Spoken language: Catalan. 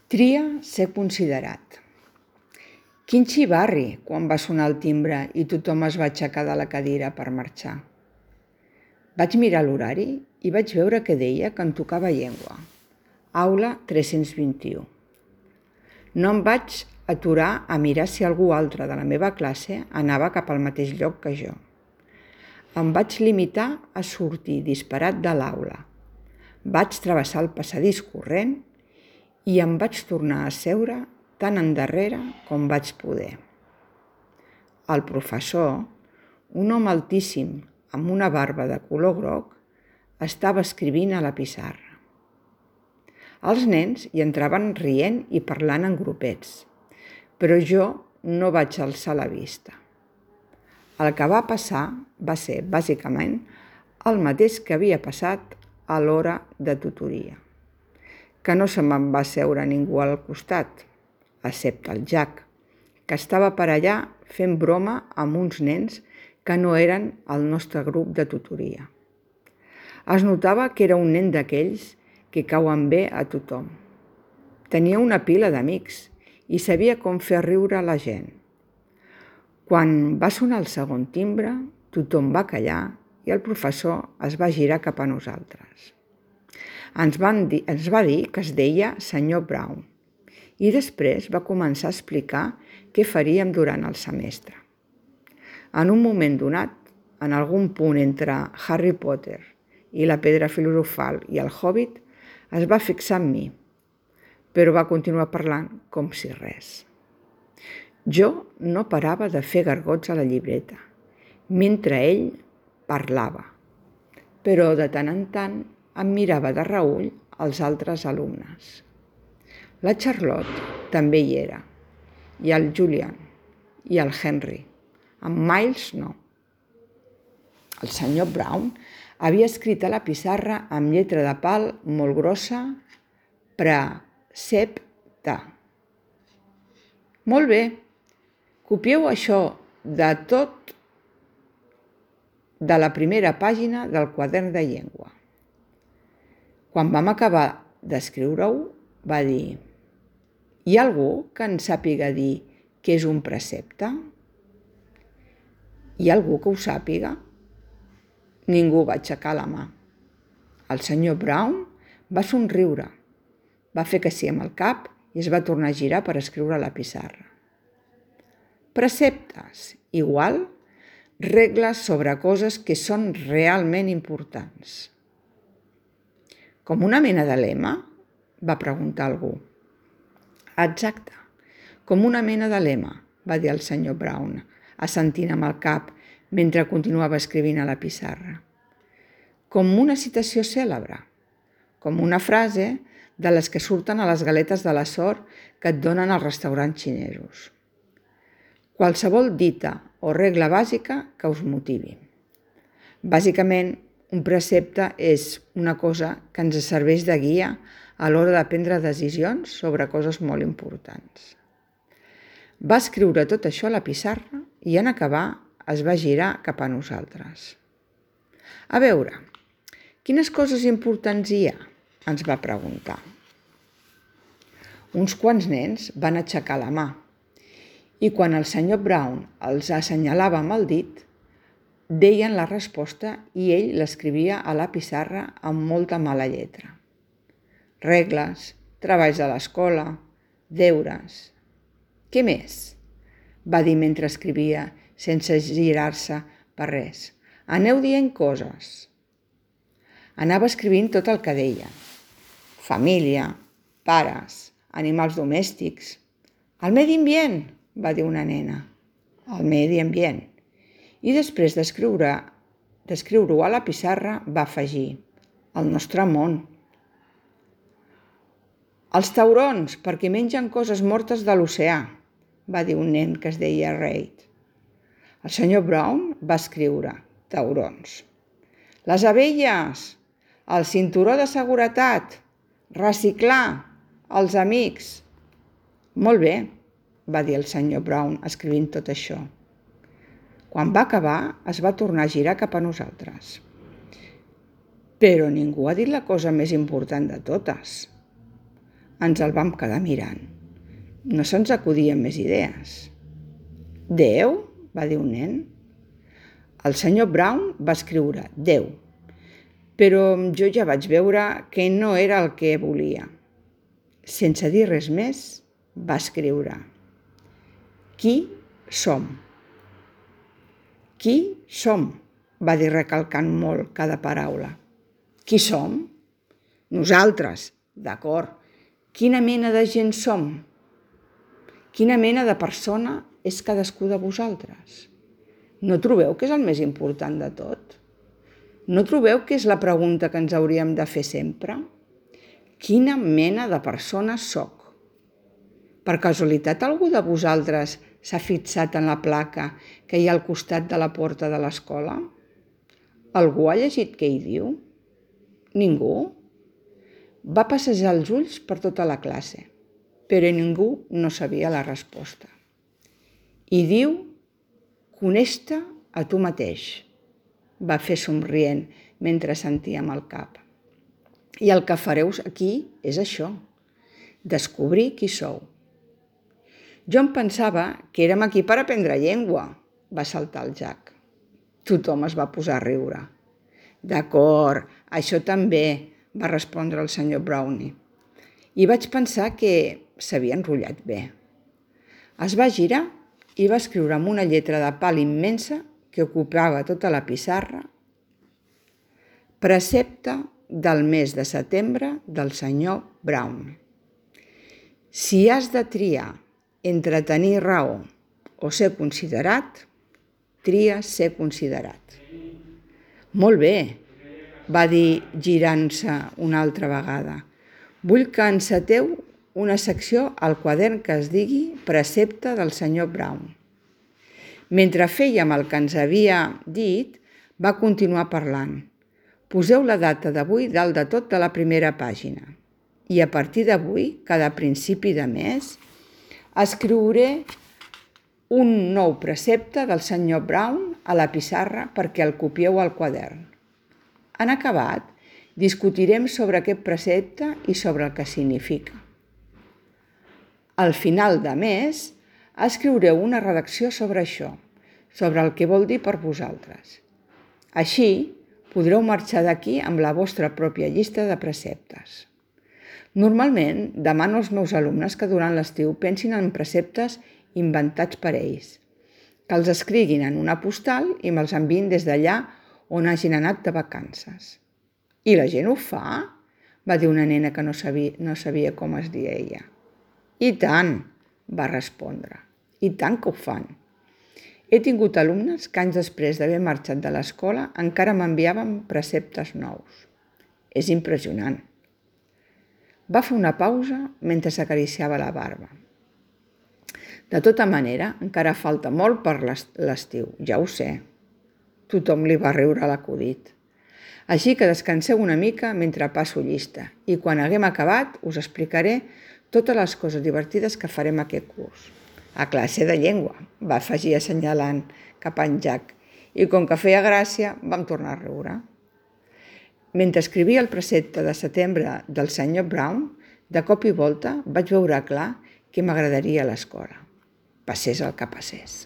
Tria ser considerat. Quin xivarri quan va sonar el timbre i tothom es va aixecar de la cadira per marxar. Vaig mirar l'horari i vaig veure que deia que em tocava llengua. Aula 321. No em vaig aturar a mirar si algú altre de la meva classe anava cap al mateix lloc que jo. Em vaig limitar a sortir disparat de l'aula. Vaig travessar el passadís corrent i em vaig tornar a seure tan endarrere com vaig poder. El professor, un home altíssim amb una barba de color groc, estava escrivint a la pissarra. Els nens hi entraven rient i parlant en grupets, però jo no vaig alçar la vista. El que va passar va ser, bàsicament, el mateix que havia passat a l'hora de tutoria, que no se me'n va seure ningú al costat, excepte el Jack, que estava per allà fent broma amb uns nens que no eren el nostre grup de tutoria. Es notava que era un nen d'aquells que cauen bé a tothom. Tenia una pila d'amics i sabia com fer riure la gent. Quan va sonar el segon timbre, tothom va callar i el professor es va girar cap a nosaltres. Ens va dir que es deia senyor Brown i després va començar a explicar què faríem durant el semestre. En un moment donat, en algun punt entre Harry Potter i la pedra filosofal i el Hobbit, es va fixar en mi, però va continuar parlant com si res. Jo no parava de fer gargots a la llibreta, mentre ell parlava, però de tant en tant em mirava de reüll els altres alumnes. La Charlotte també hi era, i el Julian, i el Henry. En Miles no. El senyor Brown havia escrit a la pissarra amb lletra de pal molt grossa precepte. Molt bé, copieu això de tot de la primera pàgina del quadern de llengua. Quan vam acabar d'escriure-ho, va dir: hi ha algú que en sàpiga dir què és un precepte? Hi ha algú que ho sàpiga? Ningú va aixecar la mà. El senyor Brown va somriure, va fer que sí amb el cap i es va tornar a girar per escriure a la pissarra. Preceptes, igual, regles sobre coses que són realment importants. Com una mena de lema? Va preguntar algú. Exacte, com una mena de lema, va dir el senyor Brown, assentint amb el cap mentre continuava escrivint a la pissarra. Com una citació cèlebre, com una frase de les que surten a les galetes de la sort que et donen als restaurants xinesos. Qualsevol dita o regla bàsica que us motivi. Bàsicament, un precepte és una cosa que ens serveix de guia a l'hora de prendre decisions sobre coses molt importants. Va escriure tot això a la pissarra i en acabar es va girar cap a nosaltres. A veure, quines coses importants hi ha? Ens va preguntar. Uns quants nens van aixecar la mà i quan el senyor Brown els assenyalava amb el dit, deien la resposta i ell l'escrivia a la pissarra amb molta mala lletra. Regles, treballs de l'escola, deures. Què més? Va dir mentre escrivia, sense girar-se per res. Aneu dient coses. Anava escrivint tot el que deia. Família, pares, animals domèstics. El medi ambient, va dir una nena. El medi ambient. I després d'escriure-ho a la pissarra va afegir. El nostre món. Els taurons, perquè mengen coses mortes de l'oceà, va dir un nen que es deia Reid. El senyor Brown va escriure taurons. Les abelles, el cinturó de seguretat, reciclar, els amics. Molt bé, va dir el senyor Brown escrivint tot això. Quan va acabar, es va tornar a girar cap a nosaltres. Però ningú ha dit la cosa més important de totes. Ens el vam quedar mirant. No se'ns acudien més idees. Déu? Va dir un nen. El senyor Brown va escriure Déu, però jo ja vaig veure que no era el que volia. Sense dir res més, va escriure Qui som? Qui som? Va dir recalcant molt cada paraula. Qui som? Nosaltres, d'acord. Quina mena de gent som? Quina mena de persona és cadascú de vosaltres? No trobeu que és el més important de tot? No trobeu que és la pregunta que ens hauríem de fer sempre? Quina mena de persona sóc? Per casualitat algú de vosaltres s'ha fixat en la placa que hi ha al costat de la porta de l'escola? Algú ha llegit què hi diu? Ningú? Va passejar els ulls per tota la classe, però ningú no sabia la resposta. I diu, coneix-te a tu mateix, va fer somrient mentre sentia amb el cap. I el que fareu aquí és això, descobrir qui sou. Jo em pensava que érem aquí per aprendre llengua, va saltar el Jack. Tothom es va posar a riure. D'acord, això també, va respondre el senyor Brownie. I vaig pensar que s'havia enrotllat bé. Es va girar i va escriure amb una lletra de pal immensa que ocupava tota la pissarra Precepte del mes de setembre del senyor Brown. Si has de triar entre tenir raó o ser considerat, tria ser considerat. Molt bé, va dir girant-se una altra vegada. Vull que enceteu una secció al quadern que es digui Precepte del senyor Brown. Mentre fèiem el que ens havia dit, va continuar parlant. Poseu la data d'avui dalt de tot de la primera pàgina. I a partir d'avui, cada principi de mes, escriuré un nou precepte del senyor Brown a la pissarra perquè el copieu al quadern. En acabat, discutirem sobre aquest precepte i sobre el que significa. Al final de mes, escriureu una redacció sobre això, sobre el que vol dir per vosaltres. Així, podreu marxar d'aquí amb la vostra pròpia llista de preceptes. Normalment, demano als meus alumnes que durant l'estiu pensin en preceptes inventats per ells, que els escriguin en una postal i me'ls enviïn des d'allà on hagin anat de vacances. I la gent ho fa? Va dir una nena que no sabia com es deia ella. I tant, va respondre. I tant que ho fan. He tingut alumnes que anys després d'haver marxat de l'escola encara m'enviaven preceptes nous. És impressionant. Va fer una pausa mentre s'acariciava la barba. De tota manera, encara falta molt per l'estiu, ja ho sé. Tothom li va riure a l'acudit. Així que descanseu una mica mentre passo llista i quan haguem acabat us explicaré totes les coses divertides que farem aquest curs. A classe de llengua, va afegir assenyalant cap a en Jack, i com que feia gràcia, vam tornar a riure. Mentre escrivia el precepte de setembre del senyor Brown, de cop i volta vaig veure clar que m'agradaria a l'escola. Passés el que passés.